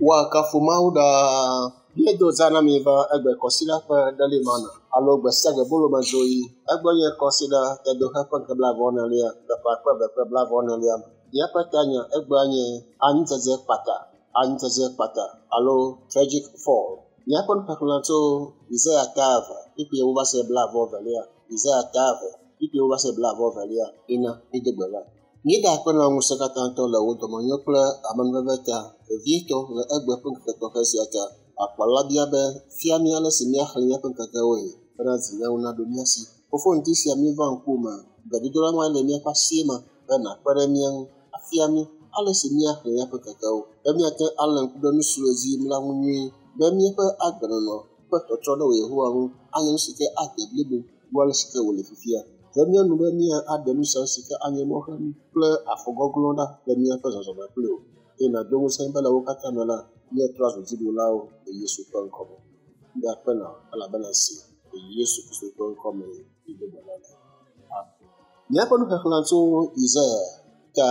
Woakafu Mawu ɖaa. Míedo za na mi va egbe kɔsiɖa ƒe ɖelimana alo gbe sia gbe bolomedzoɣi. Egbe nye kɔsiɖa tedoxe ƒe ŋkeke blaeve-vɔ-enelia le ƒe akpe eve kple blaeve-vɔ-enelia me. Míaƒe tanya egbea nye anyidzedze kpata, anyidzedze kpata alo tragic fall. Míaƒe nuxexlẽ tso Yesaya ta 2, kpukpui ewo va se blaeve-vɔ-evelia. Yesaya ta 2, kpukpui ewo va se blaeve-vɔ-evelia. Ina mído gbe ɖa. Míeda akpe na ŋusẽkatãtɔ le wò dɔmenyo kple amenuveve ta, vevietɔ le egbe ƒe ŋkeke tɔxɛ sia ta. Akpala bia be, fia mí ale si míaxlẽ míaƒe ŋkekewoe bena dzinyawo naɖo mía si. Fofo ŋdi sia míeva ŋkuwòme, gbedodoɖa ma le míaƒe asie me be nàkpe ɖe mía ŋu, afia mí ale si míaxlẽ míaƒe ŋkekewo, be míate alé ŋku ɖe nu siwo le edzi yim la ŋu nyuie, be míaƒe agbenɔnɔ ƒe tɔtrɔ ɖe wò Yehowa ŋu anye nu si ke ade blibo wu ale si ke wòle fifia. Ve mía nu be míaɖe nu sia nu si ke anye mɔxenu kple afɔgɔglɔ̃ ɖa le míaƒe zɔzɔme kpli wò. Eye nàdo ŋusẽ be le wo katã me la, míatrɔ azu dziɖulawo le Yesu ƒe ŋkɔme. Mída akpe na wò elabena esi le Yesu Kristo ƒe ŋkɔme míedo gbe ɖa le. Amen. Míaƒe nuxexlẽ tso Yesaya ta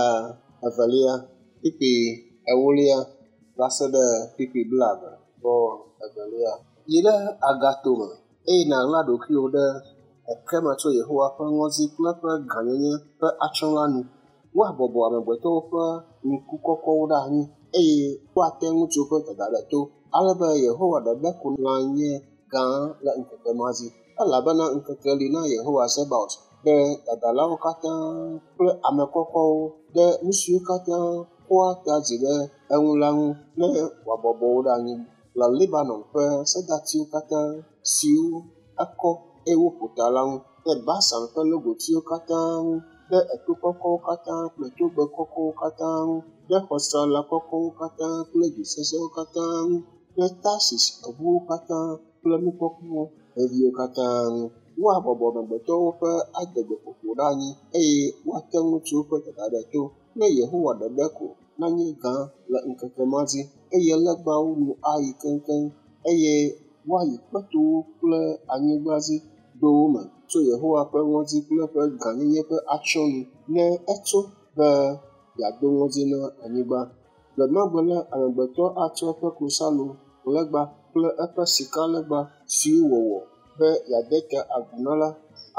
2, kpukpui 4 va se ɖe kpukpui 22. Yi ɖe agatome eye nàɣla ɖokuiwò ɖe ekeme tso Yehowa ƒe ŋɔdzi kple eƒe gãnyenye ƒe atsyɔ̃ la nu. Woabɔbɔ amegbetɔwo ƒe ŋku kɔkɔwo ɖe anyi eye woate ŋutsu ƒe dada ɖe to, ale be Yehowa ɖeɖe ko nanye gã le ŋkeke ma dzi. Elabena ŋkeke li na Yehowa Zebaot ɖe dadalawo katã kple ame kɔkɔwo ɖe nu siwo katã kɔa ta dzi ɖe eŋu la ŋu ne wòabɔbɔ wo ɖe anyi le Libanon ƒe sedatiwo katã siwo ekɔ eye woƒo ta la ŋu, ɖe Basan ƒe logotiwo katã ŋu, ɖe eto kɔkɔwo katã kple togbe kɔkɔwo katã ŋu, ɖe xɔsrala kɔkɔwo katã kple du sesẽwo katã ŋu, ɖe Tarsis ʋuwo katã kple nukpɔkpɔ veviwo katã ŋu. Woabɔbɔ amegbetɔwo ƒe adegbeƒoƒo ɖe anyi eye woate ŋutsuwo ƒe dada ɖe to, ne Yehowa ɖeɖe ko nanye gã le ŋkeke ma dzi, eye legbawo nu ayi keŋkeŋ, eye woayi kpetowo kple anyigba dzi dowo me tso Yehowa ƒe ŋɔdzi kple eƒe gãnyenye ƒe atsyɔ̃ nu, ne etso be yeado ŋɔdzi na anyigba. Gbe ma gbe la, amegbetɔ atsɔ eƒe klosalo legba kple eƒe sikalegba siwo wòwɔ be yeade ta agu na la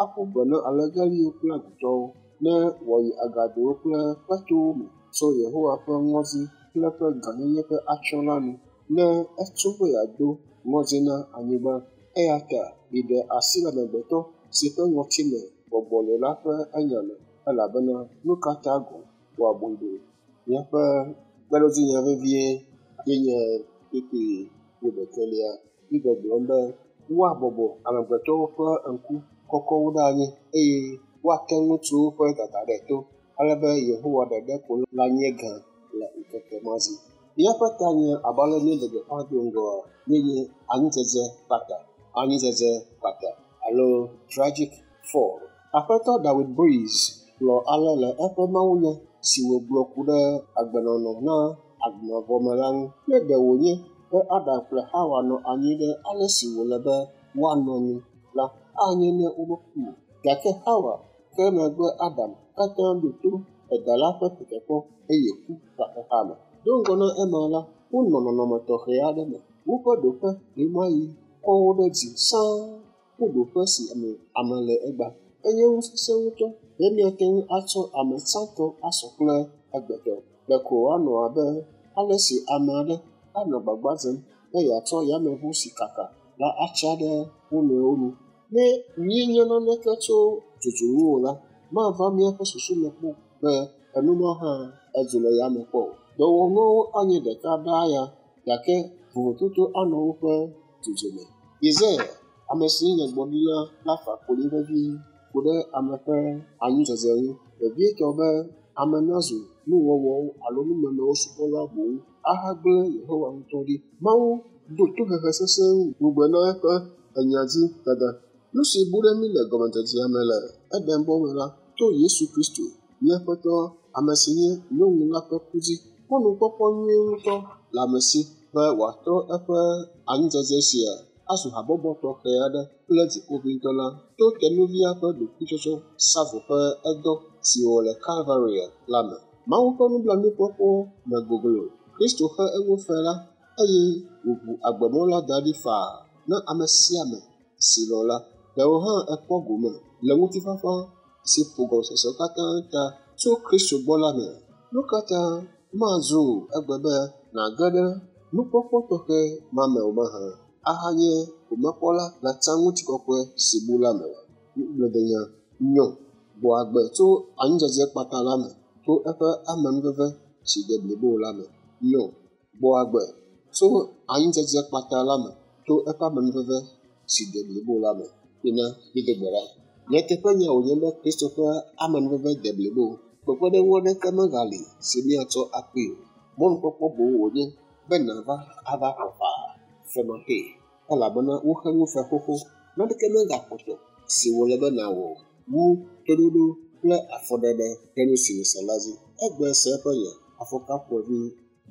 aƒu gbe na alegeliwo kple agutɔwo, ne wòayi agadowo kple kpetowo me tso Yehowa ƒe ŋɔdzi kple eƒe gãnyenye ƒe atsyɔ̃ la nu, ne etso be yeado ŋɔdzi na anyigba. Eya ta miɖe asi le amegbetɔ si ƒe ŋɔtime gbɔgbɔ le la ƒe enya me, elabena nu ka ta gɔ̃ wòabui ɖo? Míaƒe kpeɖodzinya vevie ye nye kpukpui wuiɖekɛlia. Mígbɔgblɔm be woabɔbɔ amegbetɔwo ƒe ŋku kɔkɔwo ɖe anyi eye woate ŋutsuwo ƒe dada ɖe to, ale be Yehowa ɖeɖe ko lanye gã le ŋkeke ma dzi. Míaƒe tanya abe ale míele gbeƒã do ŋgɔa ye nye anyidzedze kpata, anyidzedze kpata alo tragic fall. Aƒetɔ Dawid Breeze gblɔ ale le eƒe mawunya si wògblɔ ku ɖe agbenɔnɔ na agbemavɔ me la ŋu. Ne ɖe wònye be Adam kple Hawa nɔ anyi ɖe ale si wòle be woanɔ nu la, anye ne womeku o. Gake Hawa ke megbe Adam katã ɖo to edala ƒe tetekpɔ eye ku va xexea me. Do ŋgɔ na ema la, wonɔ nɔnɔme tɔxɛ aɖe me. Woƒe ɖoƒe ɣemaɣi kɔ wo ɖe dzi sãa wu ɖoƒe si me ame le egbea. Enye nu sesẽ ŋutɔ be míate ŋu atsɔ ame tsãtɔ asɔ kple egbetɔ. Ɖeko wòanɔ abe ale si ame aɖe anɔ gbagba dzem be yeatsɔ yameʋu si kaka la atsa ɖe wo nɔewo nu. Ne míenya naneke tso dzodzo ŋu o la, mava míaƒe susu me kpɔ be enu ma hã edzo le yame kpɔ o. Dɔwɔnuawo anye ɖeka ɖaa ya, gake vovototo anɔ woƒe dzodzo me. Yesaya, ame si nye nyagblɔɖila la fa konyi vevie ku ɖe ame ƒe anyidzedze ŋu, vevietɔ be ame nazu nuwɔwɔwo alo numemewo subɔla boŋ ahagblẽ Yehowa ŋutɔ ɖi. Mawu do tohehe sesẽ ŋugbe na eƒe enya dzi dada. Nu si bu ɖe mí le gɔmedzedzea me le Edenbɔ me la, to Yesu Kristo, mía Aƒetɔ, ame si nye nyɔnu la ƒe ku dzi. Mɔnukpɔkpɔ nyuie ŋutɔ le ame si be wòatrɔ eƒe anyidzedze sia azu habɔbɔ tɔxɛ aɖe kple dziƒoʋĩtɔ la to tenuvia ƒe ɖokuitsɔtsɔ savo ƒe edɔ si wòwɔ le Kalvaria la me. Mawu ƒe nublanuikpɔkpɔ me goglo. Kristo xe eŋu fe la eye wòʋu agbemɔ la da ɖi faa na ame sia ame si lɔ̃ la. Ɖe wò hã èkpɔ gome le ŋutifafa si ƒo gɔmesese katã ta tso Kristo gbɔ la mea? Nu ka ta mazu egbe be nàge ɖe nukpɔkpɔ tɔxɛ ma me o mahã ahanye gomekpɔla le tsã ŋutikɔkɔe si bu la me oa? Nugblẽdenya nyɔ gbɔ agbe tso anyidzedze kpata la me to eƒe amenuveve si de blibo la me. Nyɔ gbɔ agbe tso anyidzedze kpata la me to eƒe amenuveve si de blibo la me. Mina mído gbe ɖa. Nyateƒenya wònye be Kristo ƒe amenuveve de blibo. Kpekpeɖeŋu aɖeke megali si míatsɔ akpee o. Mɔnukpɔkpɔ boŋ wònye be nàva ava xɔ faa femaxee elabena woxe nu fe xoxo. Naneke megakpɔtɔ si wòle be nàwɔ wu toɖoɖo kple afɔɖeɖe ɖe nu si nèse la dzi. Egbe ese eƒe nya, afɔ ka ƒomevi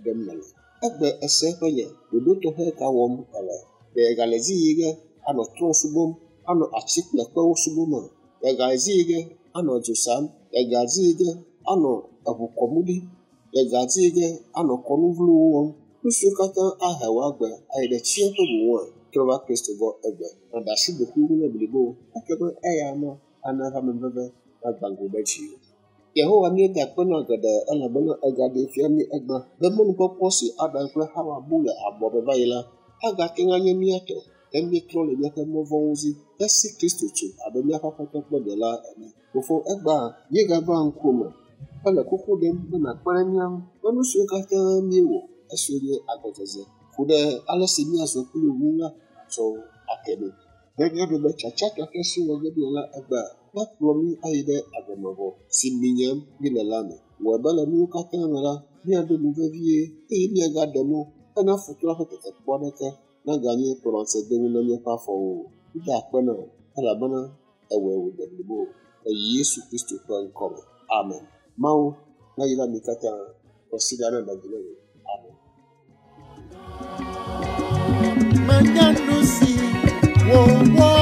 ɖem nèle? Egbe ese eƒe nya, ɖoɖo tɔxɛ ka wɔm èle? Ɖe ègale edzi yi ge anɔ trɔ̃ subɔm, anɔ ati kple kpewo subɔma? Ègale edzi yi ge anɔ dzo sam? Ègale edzi yi ge anɔ eʋu kɔm ɖi? Ègale edzi yi ge anɔ kɔnu vlowo wɔm? Nu siwo katã ahe wò agbe ayi ɖe tsiẽƒe boŋua? Trɔ va Kristo gbɔ egbe. Nàɖe asi ɖokuiwò ŋu ne blibo ekema eya ama ana eƒe amenuveve nagbã go ɖe dziwò. Yehowa míeda akpe na geɖe elabena ègaɖee fia mí egbe be mɔnukpɔkpɔ si Adam kple Xawa bu le abɔ me va yi la agate ŋu anye mía tɔ ne míetrɔ le míaƒe mɔ vɔ̃wo dzi hesi Kristo tso abe míaƒe Aƒetɔ kple Ɖela ene. Fofo, egbea míegava ŋkuwòme hele kuku ɖem be nàkpe ɖe mía ŋu be nu siwo katã míewɔ esiwo nye agɔdzedze ku ɖe ale si míazɔ kpli wò ŋu la nàtsɔ wo ake mí. Be míaɖo be tsatsa tɔxɛ si wɔ ge míele la egbea nakplɔ mí ayi ɖe agbe mavɔ si minyam míele la me. Wɔe be le nuwo katã me la, míaɖo nu vevie eye míagaɖe mɔ hena futɔ la ƒe tetekpɔ aɖeke naganye kplɔmatsedonu na míaƒe afɔwo o. Mída akpe na wò elabena èwɔe wòde blibo le Yesu Kristo ƒe ŋkɔ me. Amen. Mawu nayra mi katã. Kɔsiɖa neɖe vi na mi. Amen. Menya nu si wòwɔ.